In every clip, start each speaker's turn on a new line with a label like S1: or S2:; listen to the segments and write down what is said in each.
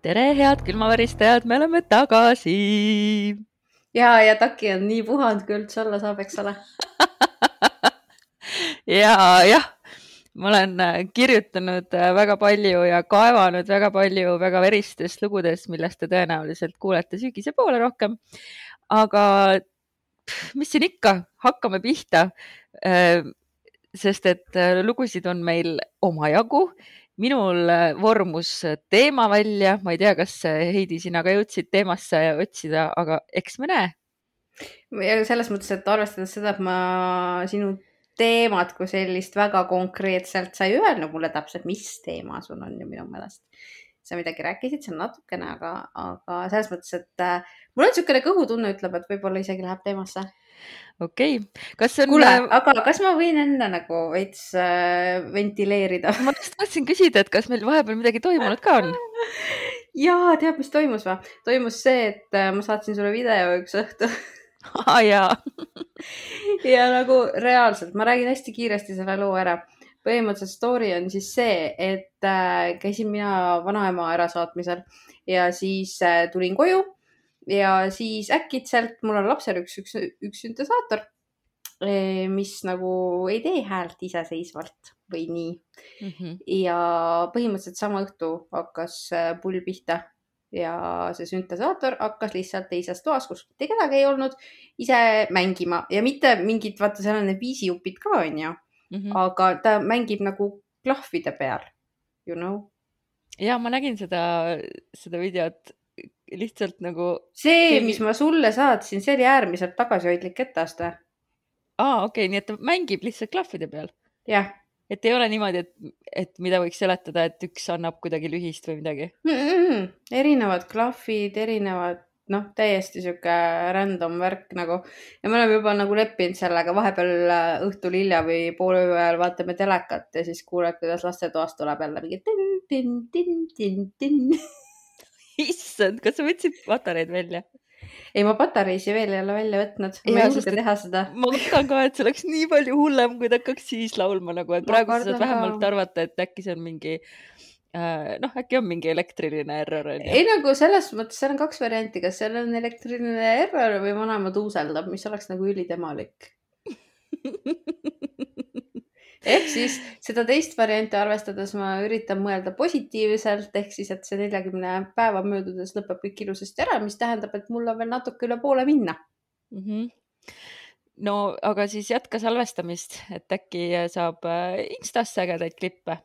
S1: tere, head külmaväristajad, me oleme tagasi.
S2: Ja Taki on nii puhanud, kui üldse olla saab, eks ole.
S1: jah, ma olen kirjutanud väga palju ja kaevanud väga palju väga veristest lugudest, millest te tõenäoliselt kuulete sügise poole rohkem. Aga mis siin ikka, hakkame pihta. Sest et lugusid on meil omajagu. Minul vormus teema välja, ma ei tea, kas Heidi, sina ka jõudsid teemasse otsida, aga eks me näe.
S2: Ja selles mõttes, et arvestades seda, et ma sinu teemat kui sellist väga konkreetselt sai öelnud mulle täpselt, mis teema sul on ju minu meelest. Sa midagi rääkisid seal natukene, aga selles mõttes, et mul on niisugune kõhutunne ütleb, et võib-olla isegi läheb teemasse.
S1: Okei. Kas on...
S2: Kuule, aga kas ma võin enne nagu veits ventileerida?
S1: Ma just tahtsin küsida, et kas meil vahepeal midagi toimunud ka on?
S2: Jaa, tead, mis toimus või? Toimus see, et ma saatsin sulle video üks õhtu.
S1: Jaa.
S2: Ja nagu reaalselt, ma räägin hästi kiiresti selle loo ära. Põhimõtteliselt story on siis see, et käisin mina vanaema ärasaatmisel ja siis tulin koju ja siis äkitselt mul on lapsel üks süntesaator, mis nagu ei tee häält iseseisvalt või nii. Ja põhimõtteliselt sama õhtu hakkas pull pihta ja see süntesaator hakkas lihtsalt teises toas, kus mitte kedagi ei olnud, ise mängima ja mitte mingid, vaata, seal on need viisijupid ka on ju, aga ta mängib nagu klahvide peal, you know?
S1: Ja ma nägin seda videot lihtsalt nagu...
S2: See, mis ma sulle saatsin, see oli äärmiselt tagasihoidlik etteaste.
S1: Okei, nii et ta mängib lihtsalt klahvide peal?
S2: Jah.
S1: Et ei ole niimoodi, et mida võiks seletada, et üks annab kuidagi lühist või midagi?
S2: Erinevad klahvid, erinevad, täiesti siuke random värk nagu. Ja me oleme juba nagu leppinud sellega, vahepeal õhtul hilja või poole öö ajal vaatame telekat ja siis kuuled, kuidas lastetoast tuleb jälle mingi tin.
S1: Issand, kas sa võtsid patareid välja?
S2: Ei, ma patareisi veel ei ole välja võtnud. Ma ei julge teha seda.
S1: Ma mõtlen ka, et see oleks nii palju hullem, kui ta hakkaks siis laulma nagu, et praegu sa saad vähemalt arvata, et äkki see on mingi, äkki on mingi elektriline error.
S2: Ei, nagu selles mõttes, seal on 2 varianti, kas seal on elektriline error või vanaema tuuseldab, mis oleks nagu ülitemalik. Ehk siis seda teist varianti arvestades ma üritan mõelda positiivselt, ehk siis, et see 40 päeva möödudes lõpeb kõik ilusasti ära, mis tähendab, et mul on veel natuke üle poole minna.
S1: No, aga siis jätka salvestamist, et äkki saab Instasse ägedaid klippe.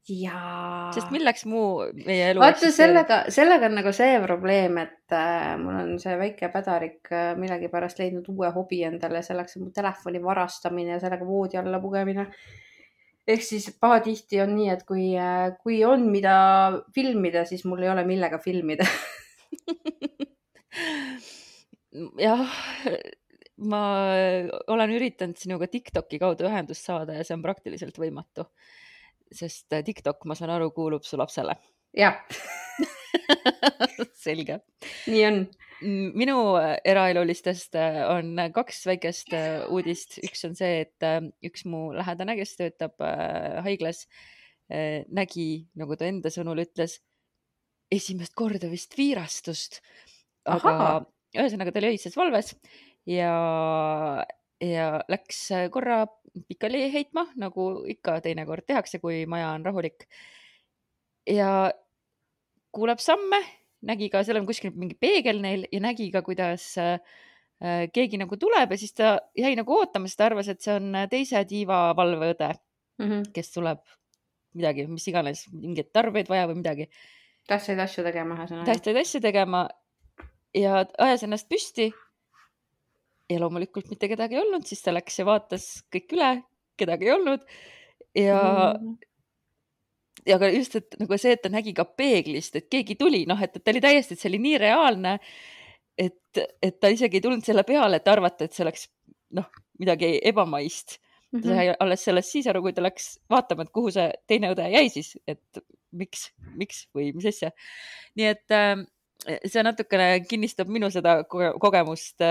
S2: Jaa.
S1: Sest milleks muu meie elu...
S2: Vaata, sellega on nagu see probleem, et mul on see väike pädarik millegi pärast leidnud uue hobi endale, selleks on mu telefoni varastamine ja sellega voodi alla pugemine. Ehk siis pahatihti on nii, et kui on mida filmida, siis mul ei ole millega filmida.
S1: Jah, ma olen üritanud sinuga TikToki kaudu ühendust saada ja see on praktiliselt võimatu. Sest TikTok, ma saan aru, kuulub su lapsele.
S2: Jah.
S1: Selge.
S2: Nii on.
S1: Minu eraelulistest on 2 väikest uudist. Üks on see, et üks mu lähedane, kes töötab haiglas, nägi, nagu ta enda sõnul ütles, esimest korda vist viirastust. Aga ühesõnaga ta oli öises valves ja läks korra pikali heitma, nagu ikka teinekord tehakse, kui maja on rahulik. Ja kuuleb samme, nägi ka, seal on kuskil mingi peegel neil ja nägi ka, kuidas keegi nagu tuleb ja siis ta jäi nagu ootama, sest ta arvas, et see on teise tiiva valveõde, kes tuleb midagi, mis iganes, mingid tarbeid vaja või midagi.
S2: Tähtsaid asju
S1: tegema ja ajas ennast püsti. Ja loomulikult mitte kedagi ei olnud, siis ta läks ja vaatas kõik üle, kedagi ei olnud. Ja ka just, et nagu see, et ta nägi ka peeglist, et keegi tuli, et ta oli täiesti, et see oli nii reaalne, et ta isegi ei tulnud selle peale, et arvata, et see oleks midagi ebamaist. Ta sai alles sellest siis aru, kui ta läks vaatama, et kuhu see teine õde jäi siis, et miks või mis asja. Nii et see natukene kinnistab minu seda kogemust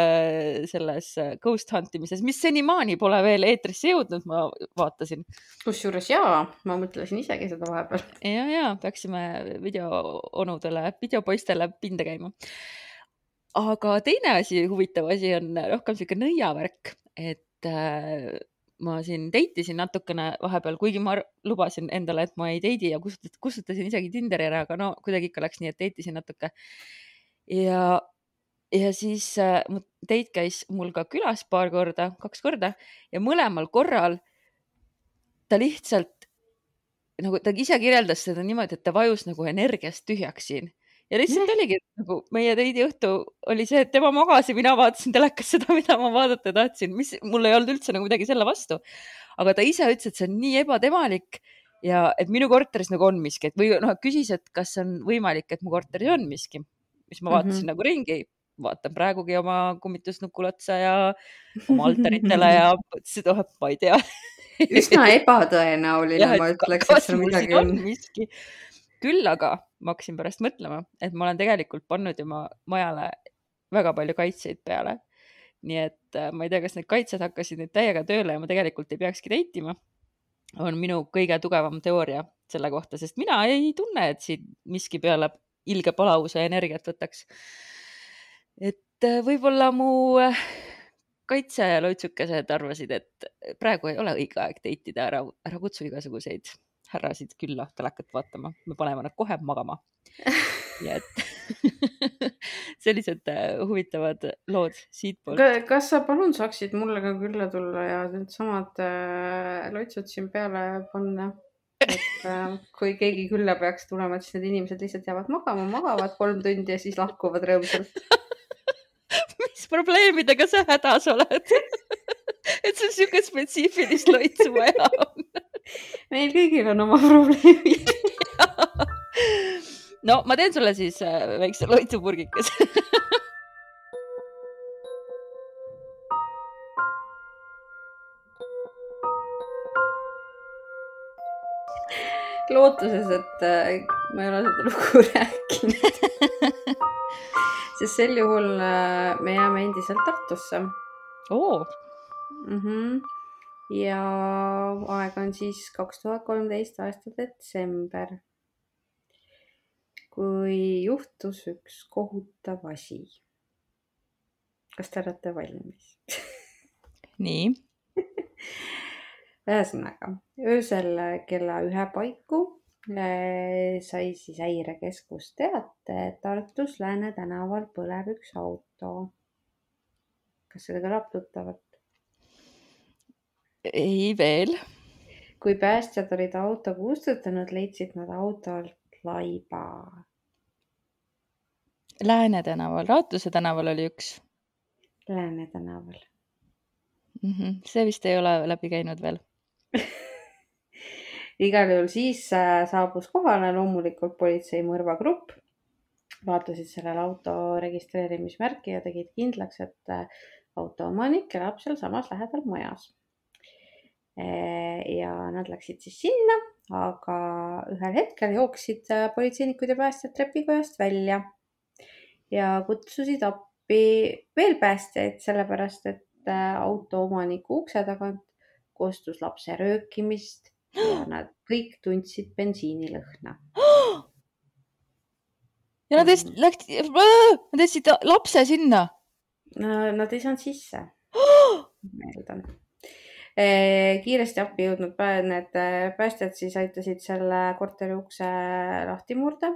S1: selles ghost huntimises, mis senimaani pole veel eetrisse jõudnud, ma vaatasin.
S2: Kusjuures jaa, ma mõtlesin isegi seda vahepeal.
S1: Ja, peaksime videoonudele, videopoistele pinda käima. Aga teine asi, huvitav asi on rohkem siuke nõiavärk, et ma siin deitisin natukene vahepeal, kuigi ma lubasin endale, et ma ei deidi ja kustutasin isegi Tinderi ära, aga no kuidagi ikka läks nii, et deitisin natuke. Ja siis date käis mul ka külas 2 korda ja mõlemal korral ta lihtsalt, nagu ta ise kirjeldas seda niimoodi, et ta vajus nagu energiast tühjaks siin. Ja lihtsalt oligi, nagu meie teidi õhtu oli see, et tema magas ja mina vaatasin telekas seda, mida ma vaadata tahtsin, mis mul ei olnud üldse nagu midagi selle vastu. Aga ta ise ütles, et see on nii ebatemalik ja et minu korteris nagu on miski, et või küsis, et kas on võimalik, et mu korteris on miski, mis ma vaatasin nagu ringi, vaatan praegugi oma kummitusnukul otsa ja oma altaritele ja mõtlesin, et ma ei tea.
S2: Üsna ebatõenäoline, ma ütleks, et seal midagi on.
S1: Küll aga ma hakkasin pärast mõtlema, et ma olen tegelikult pannud ju majale väga palju kaitseid peale. Nii et ma ei tea, kas need kaitsed hakkasid nüüd täiega tööle ja ma tegelikult ei peakski deitima. On minu kõige tugevam teooria selle kohta, sest mina ei tunne, et siin miski peale ilge palavuse energiat võtaks. Et võib-olla mu kaitseloitsukesed arvasid, et praegu ei ole õige aeg deitida, ära kutsu igasuguseid härrasid külla telekat vaatama, me paneme nad kohe magama. Ja et sellised huvitavad lood siit poolt.
S2: Kas sa palun saaksid mulle ka külla tulla ja need samad loitsud siin peale panna? Et kui keegi külla peaks tulema, et siis need inimesed lihtsalt jäävad magama, magavad 3 tundi ja siis lahkuvad rõõmsalt.
S1: Mis probleemidega sa hädas oled? Et sul siuke spetsiifilist loitsu vaja on.
S2: Meil kõigil on oma probleemid.
S1: No, ma teen sulle siis väikse loitsupurgikas.
S2: Lootuses, et ma ei ole seda lugu rääkinud. Sest sel juhul me jääme endiselt Tartusse. Ja aeg on siis 2013 aasta detsember, kui juhtus üks kohutav asi. Kas te olete valmis?
S1: Nii.
S2: Ühesõnaga, öösel kella 1 paiku sai siis häirekeskus teate, et Tartus Lääne tänaval põleb üks auto. Kas seda kõlab tuttavalt?
S1: Ei veel.
S2: Kui päästjad olid auto kustutanud, leidsid nad auto alt laiba.
S1: Lääne tänaval, Raatuse tänaval oli üks.
S2: Lääne tänaval.
S1: See vist ei ole läbi käinud veel.
S2: Igal juhul siis saabus kohale loomulikult politsei mõrvagrupp. Vaatasid sellel auto registreerimismärki ja tegid kindlaks, et auto omanik elab seal samas lähedal majas. Ja nad läksid siis sinna, aga ühel hetkel jooksid politseinikud ja päästjad trepikojast välja ja kutsusid appi veel päästjaid, sellepärast et auto omaniku ukse tagant kostus lapse röökimist ja nad kõik tundsid bensiinilõhna.
S1: Ja nad tõstsid lapse sinna?
S2: Nad ei saanud sisse. Meeldan. Kiiresti appi jõudnud need päästjad siis aitasid selle korteri ukse lahti murda.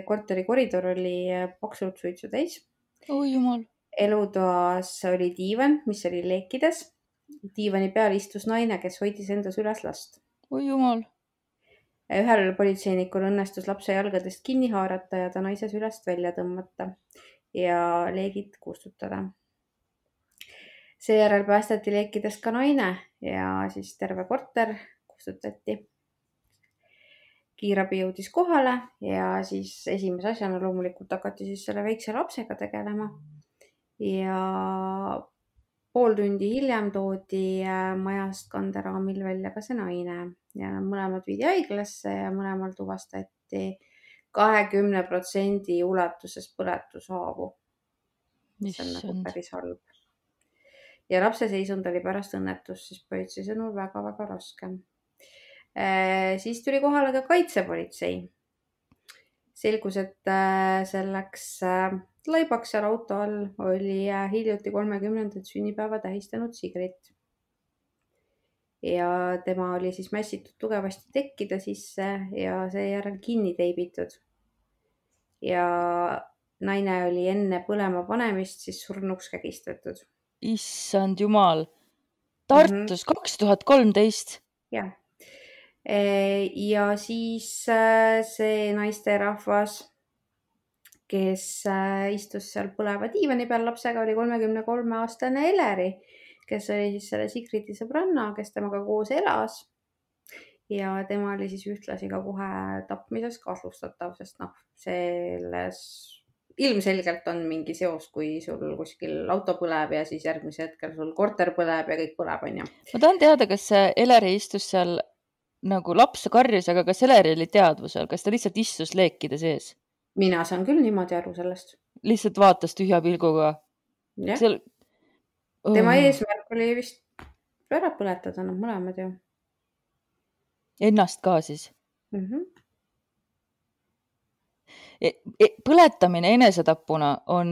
S2: Korteri koridor oli paksult suitsu täis.
S1: Oi jumal.
S2: Elutoas oli diivan, mis oli leekides. Diivani peal istus naine, kes hoidis endas üles last.
S1: Oi jumal.
S2: Ühel politseinikul õnnestus lapse jalgadest kinni haarata ja ta naise sülest välja tõmmata ja leegid kustutada. Seejärel päästati leekidest ka naine ja siis terve korter kustutati. Kiirabi jõudis kohale ja siis esimese asjana loomulikult hakati siis selle väikse lapsega tegelema. Ja pool tundi hiljem toodi majast kanderaamil välja ka see naine ja mõlemad viidi haiglasse ja mõlemal tuvastati 20% ulatuses põletushaavu. See on nagu
S1: Issand.
S2: päris halb. Ja lapse seisund oli pärast õnnetust siis politsei sõnul väga-väga raske. Siis tuli kohale ka kaitsepolitsei. Selgus, et selleks laibaks seal auto all oli hiljuti 30. sünnipäeva tähistanud Sigrid. Ja tema oli siis mässitud tugevasti tekkide sisse ja seejärel kinni teibitud. Ja naine oli enne põlema panemist siis surnuks kägistatud.
S1: Issand jumal. Tartus 2013.
S2: Jah. Ja siis see naisterahvas, kes istus seal põleva diivani peal lapsega, oli 33-aastane Eleri, kes oli siis selle Sigridi sõbranna, kes temaga koos elas. Ja tema oli siis ühtlasi ka kohe tapmises kahtlustatav, sest selles ilmselgelt on mingi seos, kui sul kuskil auto põleb ja siis järgmise hetkel sul korter põleb ja kõik põleb, on ju.
S1: Ma tahan teada, kas see Eleri istus seal nagu laps karjus, aga kas Eleri oli teadvusel, kas ta lihtsalt istus leekide sees?
S2: Mina saan küll niimoodi aru sellest.
S1: Lihtsalt vaatas tühja pilguga.
S2: Seal... Tema eesmärk oli vist ära põletada, mõlemad ju.
S1: Ennast ka siis? Põletamine enesetapuna on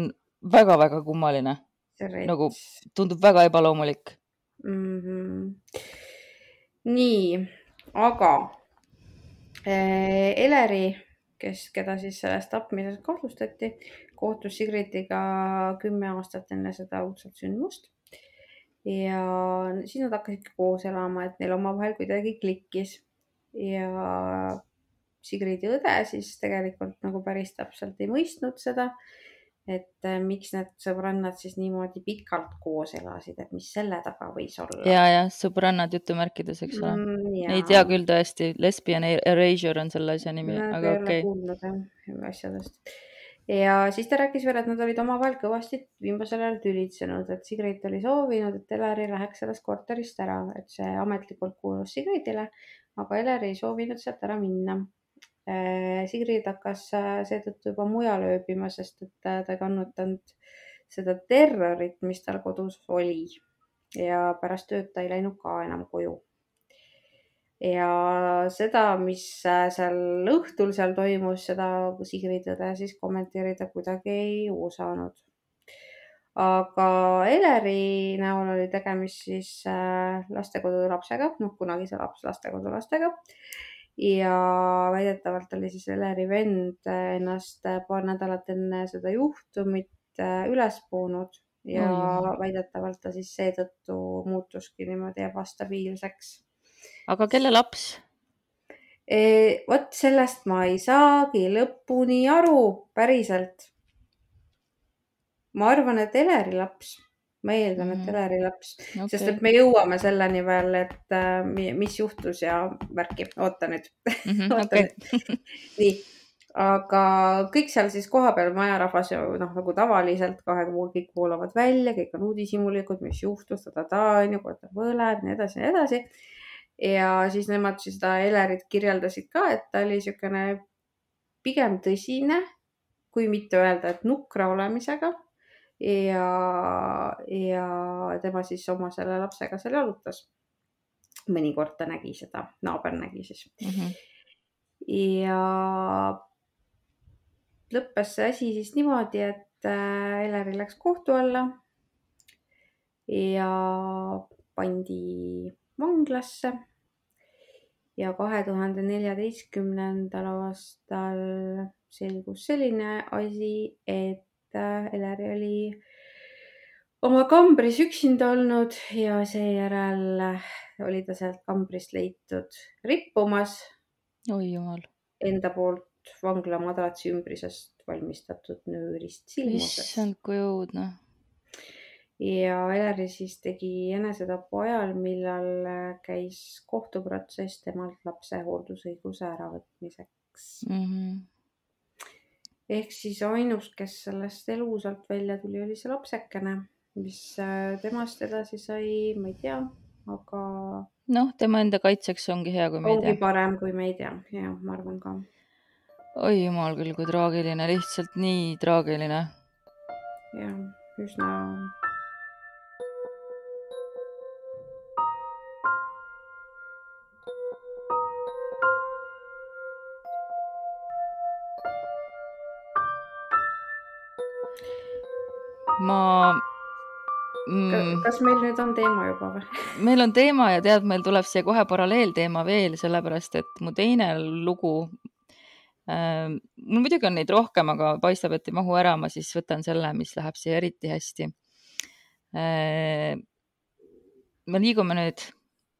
S1: väga-väga kummaline. Nagu tundub väga ebaloomulik.
S2: Nii, aga Eleri, keda siis sellest tapmises kahtlustati, kohtus Sigridiga 10 aastat enne seda uudselt sündmust. Ja siis nad hakkasid koos elama, et neil omavahel kuidagi klikkis. Ja Sigridi õde siis tegelikult nagu päris täpselt ei mõistnud seda, et miks need sõbrannad siis niimoodi pikalt koos elasid, et mis selle taga võis olla.
S1: Ja, sõbrannad jutumärkides, eks ole. Ei tea küll tõesti, lesbian erasure on selle asja nimi, aga okei.
S2: Kuulnud asjadest. Ja siis ta rääkis veel, et nad olid omavahel kõvasti viimasel ajal tülitsenud, et Sigrid oli soovinud, et Eleri läheks sellest korterist ära, et see ametlikult kuulus Sigridile, aga Eleri ei soovinud sealt ära minna. Sigrid hakkas seetõttu juba mujal ööbima, sest et ta ei kannutanud seda terrorit, mis tal kodus oli. Ja pärast tööd ta ei läinud ka enam koju. Ja seda, mis seal õhtul seal toimus, seda Sigrid õde siis kommenteerida kuidagi ei osanud. Aga Eleri näol oli tegemist siis lastekodu lapsega, kunagise lastekodu lastega. Ja väidetavalt oli siis Eleri vend ennast paar nädalat enne seda juhtumit üles puunud ja väidetavalt ta siis seetõttu muutuski niimoodi ebastabiilseks.
S1: Aga kelle laps?
S2: Vot sellest ma ei saagi lõpuni aru päriselt. Ma arvan, et Eleri laps. Ma eeldan, et Eleri laps, sest et me jõuame selleni veel, et mis juhtus ja värki. Oota nüüd. Nii, aga kõik seal siis kohapeal majarahvas nagu tavaliselt kõik voolavad välja, kõik on uudishimulikud, mis juhtus, korter põleb, nii edasi. Ja siis nemad siis seda Elerit kirjeldasid ka, et ta oli niisugune pigem tõsine, kui mitte öelda, et nukra olemisega. Ja tema siis oma selle lapsega seal jalutas. Mõnikord ta nägi seda, naaber nägi siis. Ja lõppes see asi siis niimoodi, et Eleri läks kohtu alla ja pandi vanglasse. Ja 2014. aastal selgus selline asi, et Eleri oli oma kambris üksinda olnud ja seejärel oli ta sealt kambrist leitud rippumas.
S1: Oi jumal.
S2: Enda poolt vangla madratsi ümbrisest valmistatud nöörist silmuses.
S1: Issand, kui õudne.
S2: Ja Eleri siis tegi enesetapu ajal, millal käis kohtuprotsess temalt lapse hooldusõiguse äravõtmiseks. Ehk siis ainus, kes sellest elusalt välja tuli, oli see lapsekene, mis temast edasi sai, ma ei tea, aga...
S1: tema enda kaitseks ongi hea, kui me ei tea.
S2: Ongi parem, kui me ei tea, ja ma arvan ka.
S1: oi jumal küll, kui traagiline, lihtsalt nii traagiline.
S2: jah, üsna. Kas meil nüüd on teema juba või?
S1: Meil on teema ja tead, meil tuleb siia kohe paralleelteema veel, sellepärast et mu teine lugu, mul muidugi on neid rohkem, aga paistab, et ei mahu ära, ma siis võtan selle, mis läheb siia eriti hästi. Me liigume nüüd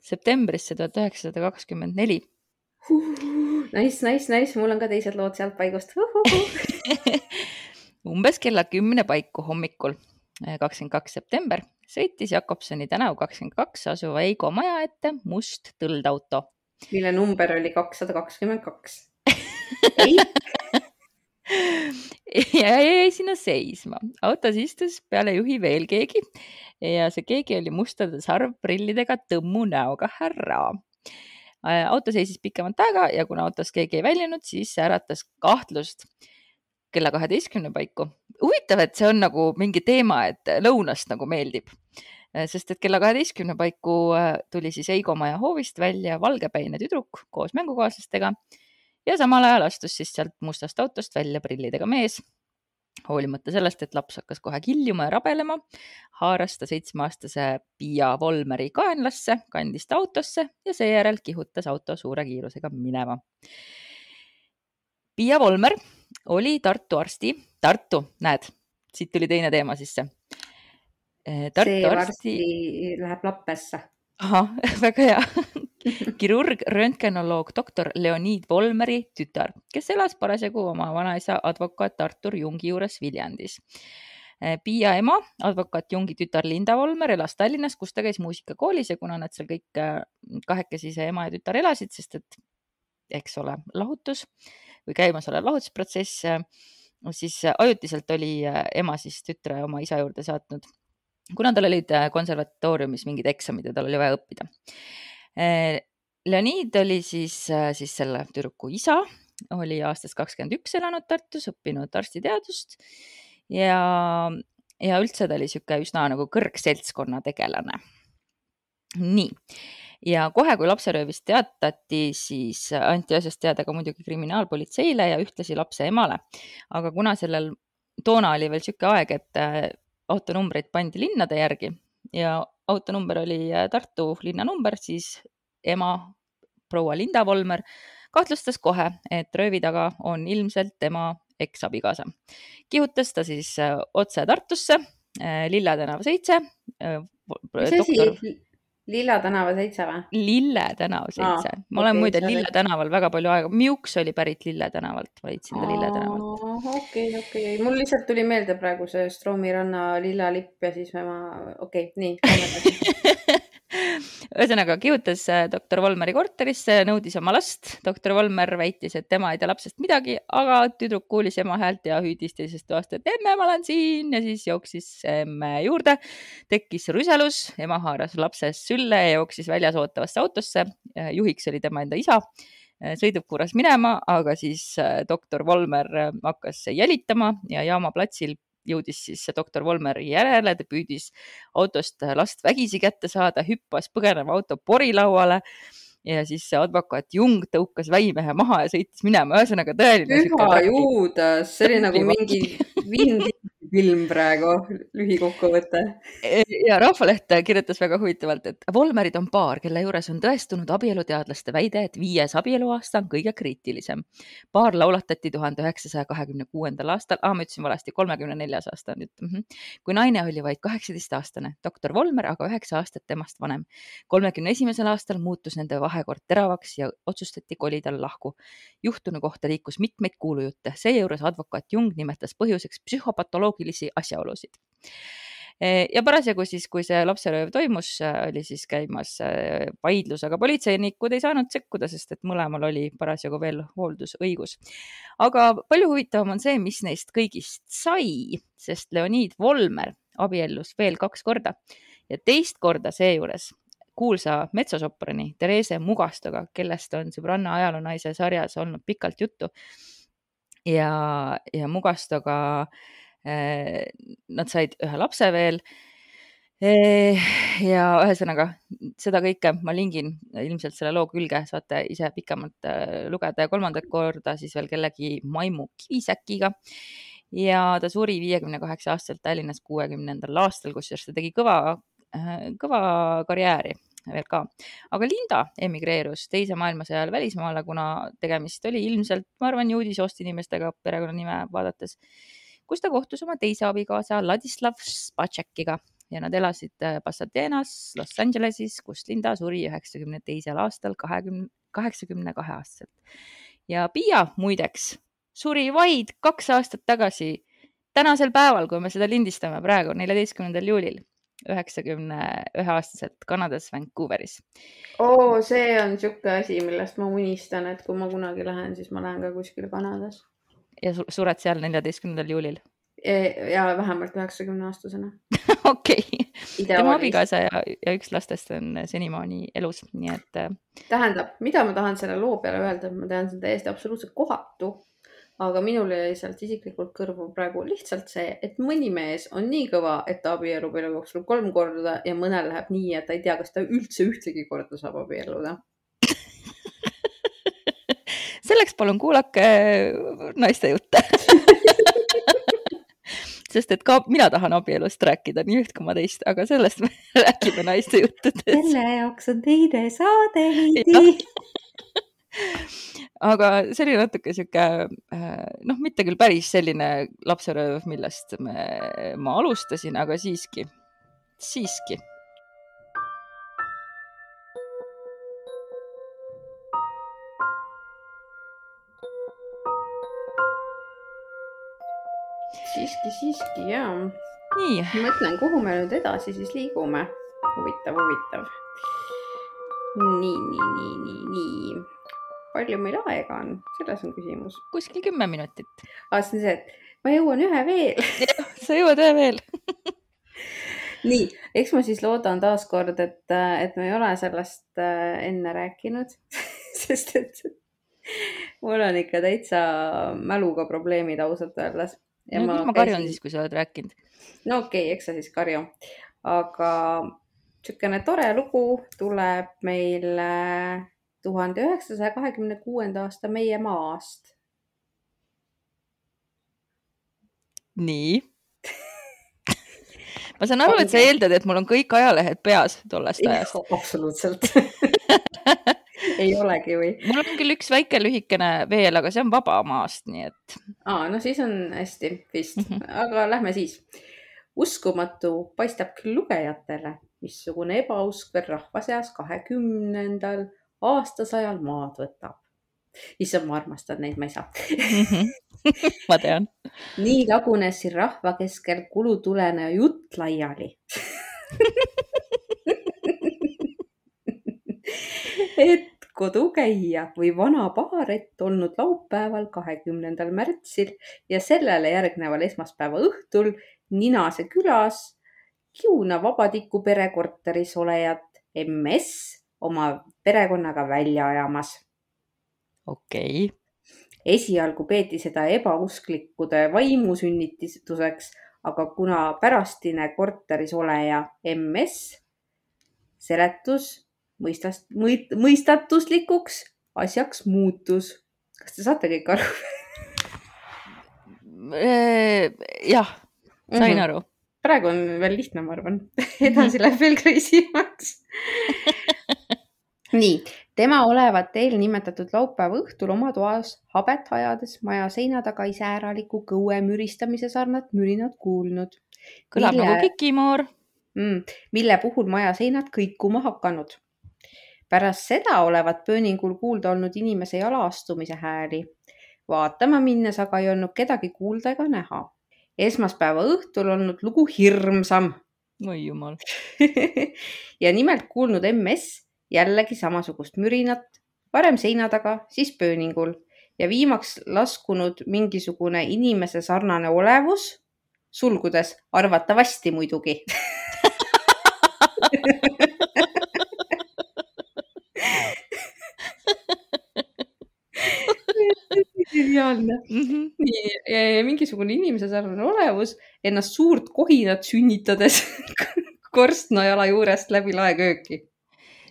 S1: septembrisse 1924.
S2: Nice, mul on ka teised lood sealt paigust.
S1: Umbes kella 10 paiku hommikul, 22. september, sõitis Jakobsoni tänav 22 asuva Eigo maja ette must tõldauto.
S2: Mille number oli 222.
S1: Ja jäi sinna seisma. Autos istus peale juhi veel keegi ja see keegi oli mustade sarvprillidega tõmmu näoga härra. Auto seisis pikemat aega ja kuna autos keegi ei väljunud, siis äratas kahtlust kella 12 paiku. Huvitav, et see on nagu mingi teema, et lõunast nagu meeldib. Sest et kella 12 paiku tuli siis Eigo maja hoovist välja valgepäine tüdruk koos mängukaaslastega ja samal ajal astus siis sealt mustast autost välja prillidega mees. Hoolimata sellest, et laps hakkas kohe kiljuma ja rabelema, haaras ta 7-aastase Pia Volmeri kaenlasse, kandis ta autosse ja seejärel kihutas auto suure kiirusega minema. Pia Volmer oli Tartu arsti. Tartu, näed, siit tuli teine teema sisse.
S2: See varsti läheb lappesse.
S1: Aha, väga hea. Kirurg, röntgenoloog doktor Leonid Volmeri tütar, kes elas parasjagu oma vanaisa advokaat Artur Jungi juures Viljandis. Pia ema, advokaat Jungi tütar Linda Volmer elas Tallinnas, kus ta käis muusikakoolis ja kuna nad seal kõik kahekesi see ema ja tütar elasid, sest et eks ole lahutus või käimasolev lahutusprotsess, siis ajutiselt oli ema siis tütre oma isa juurde saatnud, kuna tal olid konservatooriumis mingid eksamid ja tal oli vaja õppida. Leonid oli siis selle tüdruku isa, oli aastast 21 elanud Tartus, õppinud arstiteadust ja üldse ta oli siuke üsna nagu kõrgseltskonna tegelane. Nii. Ja kohe, kui lapseröövist teatati, siis anti asjast teada ka muidugi kriminaalpolitseile ja ühtlasi lapse emale. Aga kuna sellel toona oli veel siuke aeg, et autonumbreid pandi linnade järgi ja autonumber oli Tartu linnanumber, siis ema proua Linda Volmer kahtlustas kohe, et röövi taga on ilmselt tema eksabikaasa. Kihutas ta siis otse Tartusse, Lille tänav 7.
S2: Mis asi? Lille tänava 7 või?
S1: Lille tänav 7. Ma olen muide Lille tänaval väga palju aega. Miuks oli pärit Lille tänavalt. Ma leidsin ta Lille tänavalt.
S2: Okei. Mul lihtsalt tuli meelde praegu see Stroomi ranna lilla lipp ja siis nii.
S1: Ühesõnaga kihutas doktor Volmeri korterisse, nõudis oma last. Doktor Volmer väitis, et tema ei tea lapsest midagi, aga tüdruk kuulis ema häält ja hüüdis teisest toast, et emme, ma olen siin ja siis jooksis emme juurde. Tekkis rüselus, ema haaras lapsest sülle ja jooksis väljas ootavasse autosse. Juhiks oli tema enda isa. Sõiduk kuuras minema, aga siis doktor Volmer hakkas jälitama ja jaama platsil jõudis siis doktor Volmeri järele, ta püüdis autost last vägisi kätte saada, hüppas põgeneva auto porilauale ja siis see advokaat Jung tõukas väimehe maha ja sõitis minema. Ühesõnaga tõeline.
S2: Püha juudas, see oli nagu mingi film praegu, lühikokkuvõte.
S1: Ja Rahvaleht kirjutas väga huvitavalt, et Volmerid on paar, kelle juures on tõestunud abieluteadlaste väide, et 5. abieluaasta on kõige kriitilisem. Paar laulatati 1926. aastal, ma ütlesin valesti, 34. aasta on nüüd, kui naine oli vaid 18-aastane, doktor Volmer aga 9 aastat temast vanem. 31. aastal muutus nende vahekord teravaks ja otsustati kolida lahku. Juhtunu kohta liikus mitmeid kuulujutte, seejuures advokaat Jung nimetas põhjuseks psühhopatoloogilisi asjaolusid. Ja parasjagu siis, kui see lapserööv toimus, oli siis käimas vaidlus, aga politseinikud ei saanud sekkuda, sest et mõlemal oli parasjagu veel hooldusõigus. Aga palju huvitavam on see, mis neist kõigist sai, sest Leonid Volmer abiellus veel 2 korda ja teist korda seejuures kuulsa metsosoprani Therese Mugastoga, kellest on Sõbranna ajaloonaise sarjas olnud pikalt juttu. ja Mugastoga nad said ühe lapse veel. Ja ühesõnaga seda kõike ma lingin ilmselt selle loo külge, saate ise pikemalt lugeda ja 3. korda siis veel kellegi Maimu Kivisäkiga. Ja ta suri 58 aastaselt Tallinnas 60. aastal, kusjuures ta tegi kõva karjääri veel ka. Aga Linda emigreerus teise maailmasõja ajal välismaale, kuna tegemist oli ilmselt, ma arvan, juudi soost inimestega perekonnanime vaadates, kus ta kohtus oma teise abikaasa Ladislav Spacek'iga ja nad elasid Pasadenas, Los Angelesis, kus Linda suri 92. aastal 82 aastaselt. Ja Pia muideks suri vaid 2 aastat tagasi, tänasel päeval, kui me seda lindistame praegu, 14. juulil, 91 aastaselt Kanadas Vancouveris.
S2: See on siuke asi, millest ma unistan, et kui ma kunagi lähen, siis ma lähen ka kuskil Kanadas.
S1: Ja sured seal 14. juulil?
S2: Ja vähemalt 90-aastasena.
S1: Okei. Tema abikaasa ja üks lastest on senimaani elus, nii et...
S2: Tähendab, mida ma tahan selle loo peale öelda, ma tean, see on täiesti absoluutselt kohatu, aga minul jäi sealt isiklikult kõrvu praegu lihtsalt see, et mõni mees on nii kõva, et ta abiellub elu jooksul 3 korda ja mõnel läheb nii, et ta ei tea, kas ta üldse ühtegi korda saab abielluda.
S1: Selleks palun kuulake naiste jutte. Sest et ka mina tahan abielust rääkida nii üht kui ma teist, aga sellest me räägime naiste juttudes.
S2: Selle jaoks on teine saade, Heidi.
S1: Aga see oli natuke siuke, mitte küll päris selline lapserööv, millest ma alustasin, aga siiski. Siiski, jaa. Nii.
S2: Mõtlen, kuhu me nüüd edasi siis liigume. Huvitav. Nii. Palju meil aega on? Selles on küsimus.
S1: Kuskil 10 minutit.
S2: See on see, et ma jõuan ühe veel.
S1: Jah, sa jõuad ühe veel.
S2: Nii, eks ma siis loodan taas kord, et me ei ole sellest enne rääkinud, sest et mul on ikka täitsa mäluga probleemid ausalt öeldes.
S1: Ja ma karjun siis, kui sa oled rääkinud.
S2: No okei, eks sa siis karju. Aga sükene tore lugu tuleb meil 1926. aasta meie maast.
S1: Nii. Ma saan aru, et sa eeldad, et mul on kõik ajalehed peas tollest ajast.
S2: Absoluutselt. Ei olegi või?
S1: Mul on küll üks väike lühikene veel, aga see on vaba maast, nii et...
S2: No siis on hästi vist, aga lähme siis. Uskumatu paistab küll lugejatele, missugune ebausk veel rahva seas 20. aastasajal maad võtab. Issand, ma armastan neid, ma ei saa.
S1: Ma tean.
S2: Nii lagunes siin rahva keskel kulutulene jutt laiali. Et kodukäija või vana paarett olnud laupäeval 20. märtsil ja sellele järgneval esmaspäeva õhtul Ninase külas Kiuna Vabatiku perekorteris olejat MS oma perekonnaga välja ajamas.
S1: Okei.
S2: Esialgu peeti seda ebausklikkude vaimusünnituseks, aga kuna pärastine korteris oleja MS seletus mõistatuslikuks asjaks muutus. Kas te saate kõik aru?
S1: Jah, sain aru.
S2: Praegu on veel lihtne, ma arvan. Edasi läheb veel crazy'maks. Nii, tema olevat eelnimetatud laupäeva õhtul oma toas habet hajades maja seina taga iseäraliku kõue müristamise sarnat mürinat kuulnud.
S1: Kõlab nagu kikimoor.
S2: Mille puhul maja seinad kõikuma hakanud. Pärast seda olevat pööningul kuulda olnud inimese jalaastumise hääli. Vaatama minnes aga ei olnud kedagi kuulda ega näha. Esmaspäeva õhtul olnud lugu hirmsam.
S1: Oi jumal.
S2: Ja nimelt kuulnud MS jällegi samasugust mürinat, varem seina taga, siis pööningul ja viimaks laskunud mingisugune inimese sarnane olevus, sulgudes arvatavasti muidugi. geniaalne. Nii, mingisugune inimese sarnane olevus ennast suurt kohinat sünnitades korstnajala juurest läbi laekööki.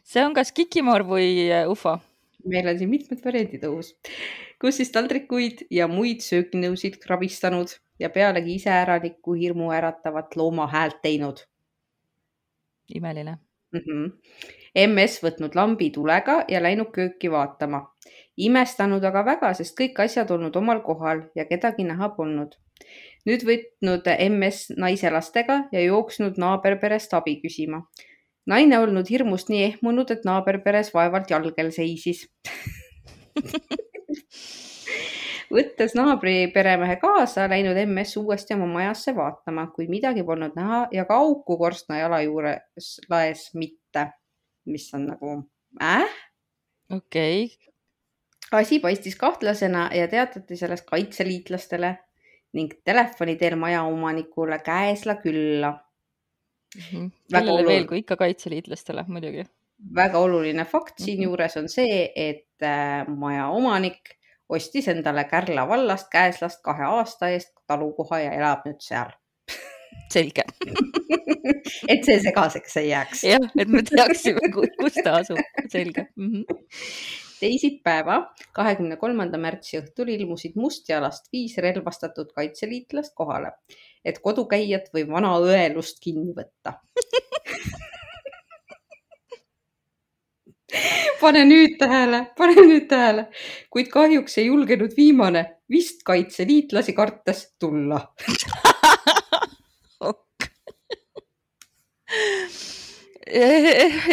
S1: See on kas kikimoor või ufo?
S2: Meil on siin mitmed variandid õhus, kus siis taldrikuid ja muid sööginõusid krabistanud ja pealegi iseäralikku hirmu äratavat looma häält teinud.
S1: Imeline.
S2: MS võtnud lambi tulega ja läinud kööki vaatama. Imestanud aga väga, sest kõik asjad olnud omal kohal ja kedagi näha polnud. Nüüd võtnud MS naise lastega ja jooksnud naaberperest abi küsima. Naine olnud hirmust nii ehmunud, et naaberperes vaevalt jalgel seisis. Võttes naabri peremehe kaasa, läinud MS uuesti oma majasse vaatama, kui midagi polnud näha ja ka auku korstna jala juures laes mitte, mis on nagu
S1: Okei.
S2: Asi paistis kahtlasena ja teatati sellest kaitseliitlastele ning telefoni teel majaomanikule käesla külla.
S1: Kellele veel kui ikka kaitseliitlastele, muidugi.
S2: Väga oluline fakt siin juures on see, et majaomanik ostis endale Kärla vallast käeslast 2 aasta eest talukoha ja elab nüüd seal.
S1: Selge.
S2: Et see segaseks ei jääks.
S1: Jah, et me teaksime, kus ta asub. Selge.
S2: Teisipäeva 23. märtsi õhtul ilmusid Mustjalast 5 relvastatud kaitseliitlast kohale, et kodukäijat või vana õelust kinni võtta. Pane nüüd tähele, kuid kahjuks ei julgenud viimane vist kaitseliitlasi kartes tulla.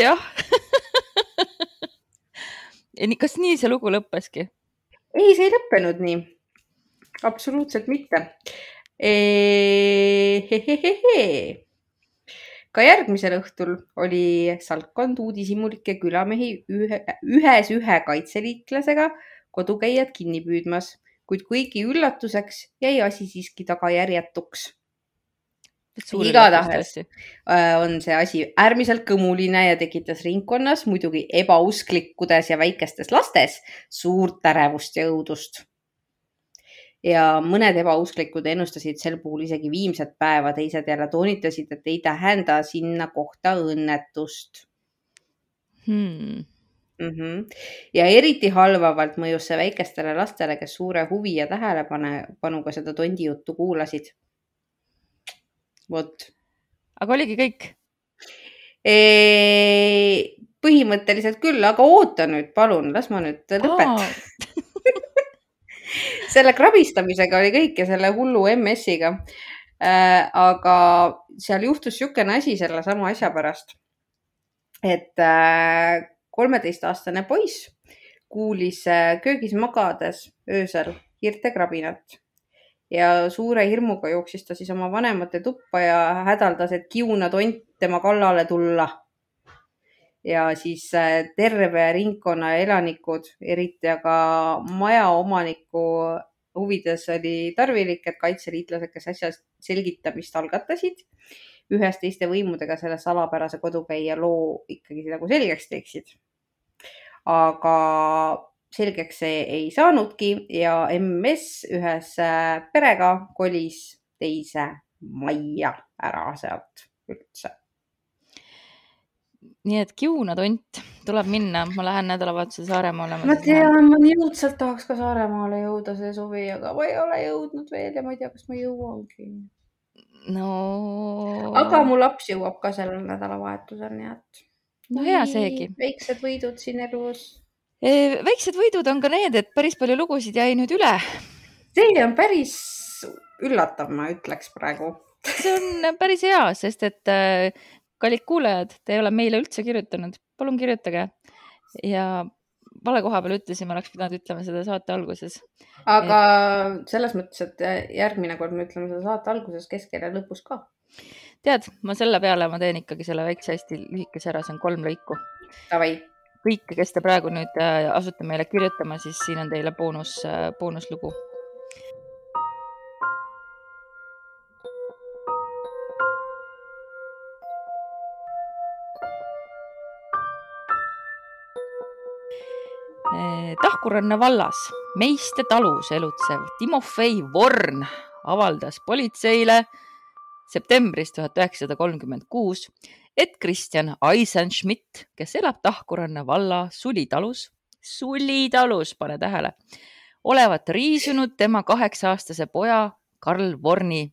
S1: Jah. Kas nii see lugu lõppeski?
S2: Ei, see ei lõppenud nii. Absoluutselt mitte. Ka järgmisel õhtul oli salkkond uudishimulike külamehi ühe kaitseliitlasega kodukäijad kinni püüdmas, kuid kuigi üllatuseks jäi asi siiski tagajärjetuks. Igatahes on see asi äärmiselt kõmuline ja tekitas ringkonnas muidugi ebausklikkudes ja väikestes lastes suurt ärevust ja õudust. Ja mõned ebausklikud ennustasid sel puhul isegi viimset päeva, teised jälle toonitasid, et ei tähenda sinna kohta õnnetust. Ja eriti halvavalt mõjus see väikestele lastele, kes suure huvi ja tähelepanuga seda tondi juttu kuulasid. Vot.
S1: Aga oligi kõik?
S2: Põhimõtteliselt küll, aga oota nüüd, palun, las ma nüüd lõpetan. Selle krabistamisega oli kõik ja selle hullu MS-iga. Aga seal juhtus niisugune asi selle sama asja pärast, et 13-aastane poiss kuulis köögis magades öösel hiirte krabinat ja suure hirmuga jooksis ta siis oma vanemate tuppa ja hädaldas, et kiuna tont tema kallale tulla. Ja siis terve ringkonna elanikud, eriti aga majaomaniku huvides oli tarvilik, et kaitseliitlased, kes asja selgitamist algatasid, ühes teiste võimudega selle salapärase kodukäija loo ikkagi nagu selgeks teeksid. Aga selgeks see ei saanudki ja MS ühes perega kolis teise majja ära sealt üldse.
S1: Nii et kiuna tont tuleb minna. Ma lähen nädalavahetusel Saaremaale.
S2: Ma tean, ma nii õudselt tahaks ka Saaremaale jõuda see suvi, aga ma ei ole jõudnud veel ja ma ei tea, kas ma jõuangi.
S1: No.
S2: Aga mu laps jõuab ka sellel nädalavahetusel, nii et.
S1: No hea seegi.
S2: Väiksed võidud siin elus.
S1: Väiksed võidud on ka need, et päris palju lugusid jäi nüüd üle.
S2: See on päris üllatav, ma ütleks praegu.
S1: See on päris hea, sest et kallid kuulajad, te ei ole meile üldse kirjutanud. Palun kirjutage. Ja vale koha peal ütlesime, oleks pidanud ütlema seda saate alguses.
S2: Aga selles mõttes, et järgmine kord me ütleme seda saate alguses, keskel ja lõpus ka.
S1: Tead, ma selle peale ma teen ikkagi selle väikse hästi lühikese ära, see on 3 lõiku.
S2: Tavai.
S1: Kõik, kes te praegu nüüd asute meile kirjutama, siis siin on teile boonuslugu. Tahkuranna vallas Meiste talus elutsev Timofei Vorn avaldas politseile septembris 1936, et Kristjan Eisenschmidt, kes elab Tahkuranna valla Sulitalus, pane tähele, olevat riisunud tema 8-aastase poja Karl Vorni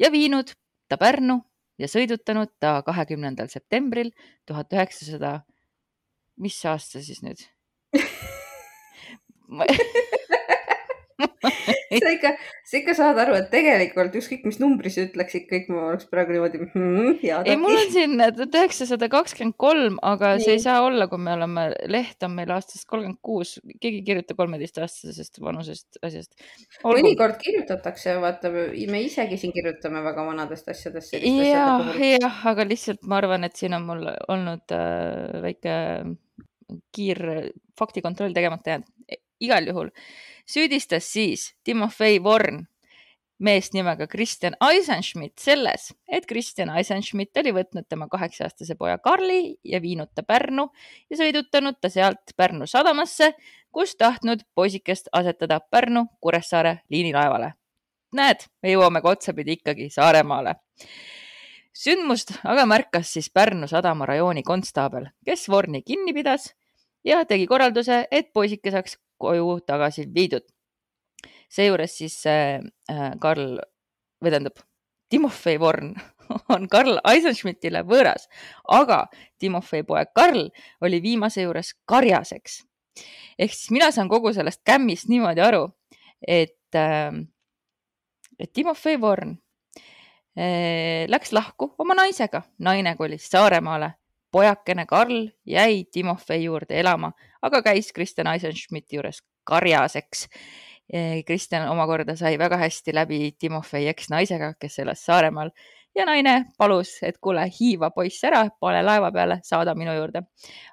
S1: ja viinud ta Pärnu ja sõidutanud ta 20. septembril 1900, mis aasta siis nüüd?
S2: sa ikka saad aru, et tegelikult ükskõik mis numbri sa ütleksid, kõik ma oleks praegu niimoodi
S1: ei, mul on siin 1923, aga see ei saa olla, kui me oleme, leht on meil aastast 36, keegi ei kirjuta 13-aastasest vanusest asjast.
S2: Mõnikord kirjutatakse, vaata, me isegi siin kirjutame väga vanadest asjadest.
S1: Jah, aga lihtsalt ma arvan, et siin on mul olnud väike kiir faktikontroll tegemata jäänud. Igal juhul süüdistas siis Timofei Vorn meest nimega Kristjan Eisenschmidt selles, et Kristjan Eisenschmidt oli võtnud tema 8-aastase poja Karli ja viinud ta Pärnu ja sõidutanud ta sealt Pärnu sadamasse, kus tahtnud poisikest asetada Pärnu Kuressaare liinilaevale. Näed, me jõuame otsapidi ikkagi Saaremaale. Sündmust aga märkas siis Pärnu sadama rajooni konstaabel, kes Vorni kinni pidas ja tegi korralduse, et poisike saaks koju tagasi viidud. Seejuures siis Timofei Vorn on Karl Eisenschmidtile võõras, aga Timofei poeg Karl oli viimase juures karjaseks. Ehk siis mina saan kogu sellest kämmist niimoodi aru, et Timofei Vorn läks lahku oma naisega. Naine kolis Saaremaale. Pojakene Karl jäi Timofei juurde elama, aga käis Kristjan Eisenschmidti juures karjaseks. Kristjan omakorda sai väga hästi läbi Timofei eks-naisega, kes elas Saaremaal ja naine palus, et kuule, hiiva poiss ära, pane laeva peale, saada minu juurde.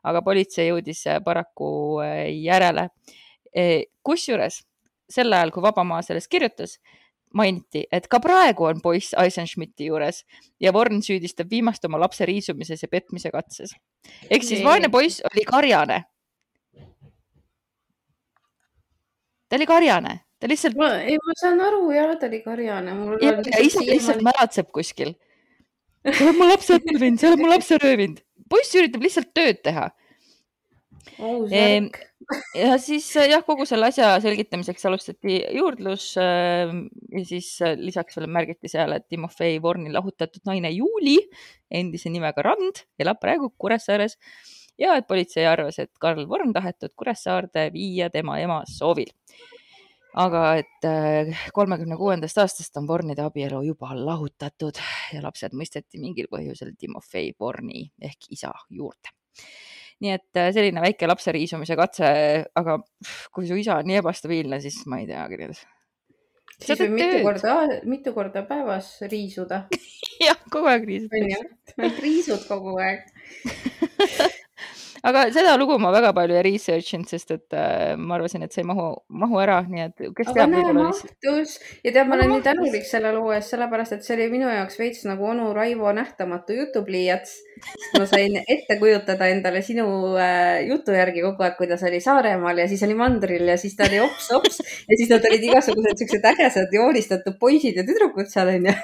S1: Aga politsei jõudis paraku järele. Kusjuures sel ajal, kui Vabamaa sellest kirjutas, mainiti, et ka praegu on poiss Eisenschmidti juures ja Vorn süüdistab viimast oma lapse riisumises ja petmise katses. Ehk siis vaene poiss oli karjane. Ta oli karjane. Ta lihtsalt...
S2: ma saan aru, jah, ta oli karjane.
S1: Ja isa lihtsalt märatseb kuskil. See on mu lapse röövinud, see on mu lapse röövinud. Poiss üritab lihtsalt tööd teha. Ja siis jah, kogu selle asja selgitamiseks alustati juurdlus ja siis lisaks veel märgiti seal, et Timofei Vorni lahutatud naine Juuli, endise nimega Rand, elab praegu Kuressaares ja et politsei arvas, et Karl Vorn tahetud Kuressaarde viia tema ema soovil. Aga et 36. aastast on Vornide abielu juba lahutatud ja lapsed mõisteti mingil põhjusel Timofei Vorni ehk isa juurde. Nii et selline väike lapse riisumise katse, aga kui su isa on nii ebastabiilne, siis ma ei teagi.
S2: Siis võib mitu korda päevas riisuda.
S1: Jah, kogu aeg riisutakse.
S2: Riisud kogu aeg.
S1: Aga seda lugu ma väga palju ei researchinud, sest et ma arvasin, et see ei mahu ära. Nii et kes
S2: aga näe mahtus. Ja tead, ma olen nii tänulik selle loo eest, sellepärast, et see oli minu jaoks veits nagu onu Raivo nähtamatu jutupliiats. Ma sain ette kujutada endale sinu jutu järgi kogu aeg, kuidas oli Saaremaal ja siis oli mandril ja siis ta oli ops ja siis nad olid igasugused sellised ägesad joonistatud poisid ja tüdrukud seal on ja.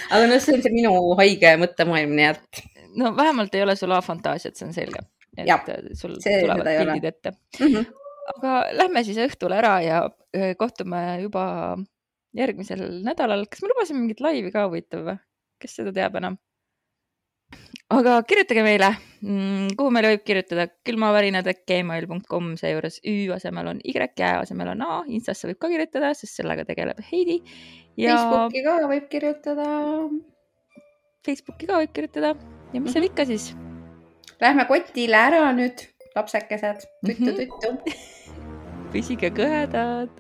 S2: Aga no see on see minu haige mõttemaailm, nii et...
S1: No vähemalt ei ole sul fantaasiat, see on selge. Et
S2: ja,
S1: sul tulevad pildid ette. Aga lähme siis õhtul ära ja kohtume juba järgmisel nädalal. Kas me lubasime mingit laivi ka huvitav või? Kes seda teab enam? Aga kirjutage meile, kuhu meile võib kirjutada külmavärinad@gmail.com, seejuures Ü asemel on Y, Ä asemel on A, Instasse võib ka kirjutada, sest sellega tegeleb Heidi.
S2: Ja... Facebooki ka võib kirjutada.
S1: Facebooki ka võib kirjutada. Ja mis seal ikka siis?
S2: Lähme kotile ära nüüd, lapsekesed. Tuttu.
S1: Püsige kõhedad.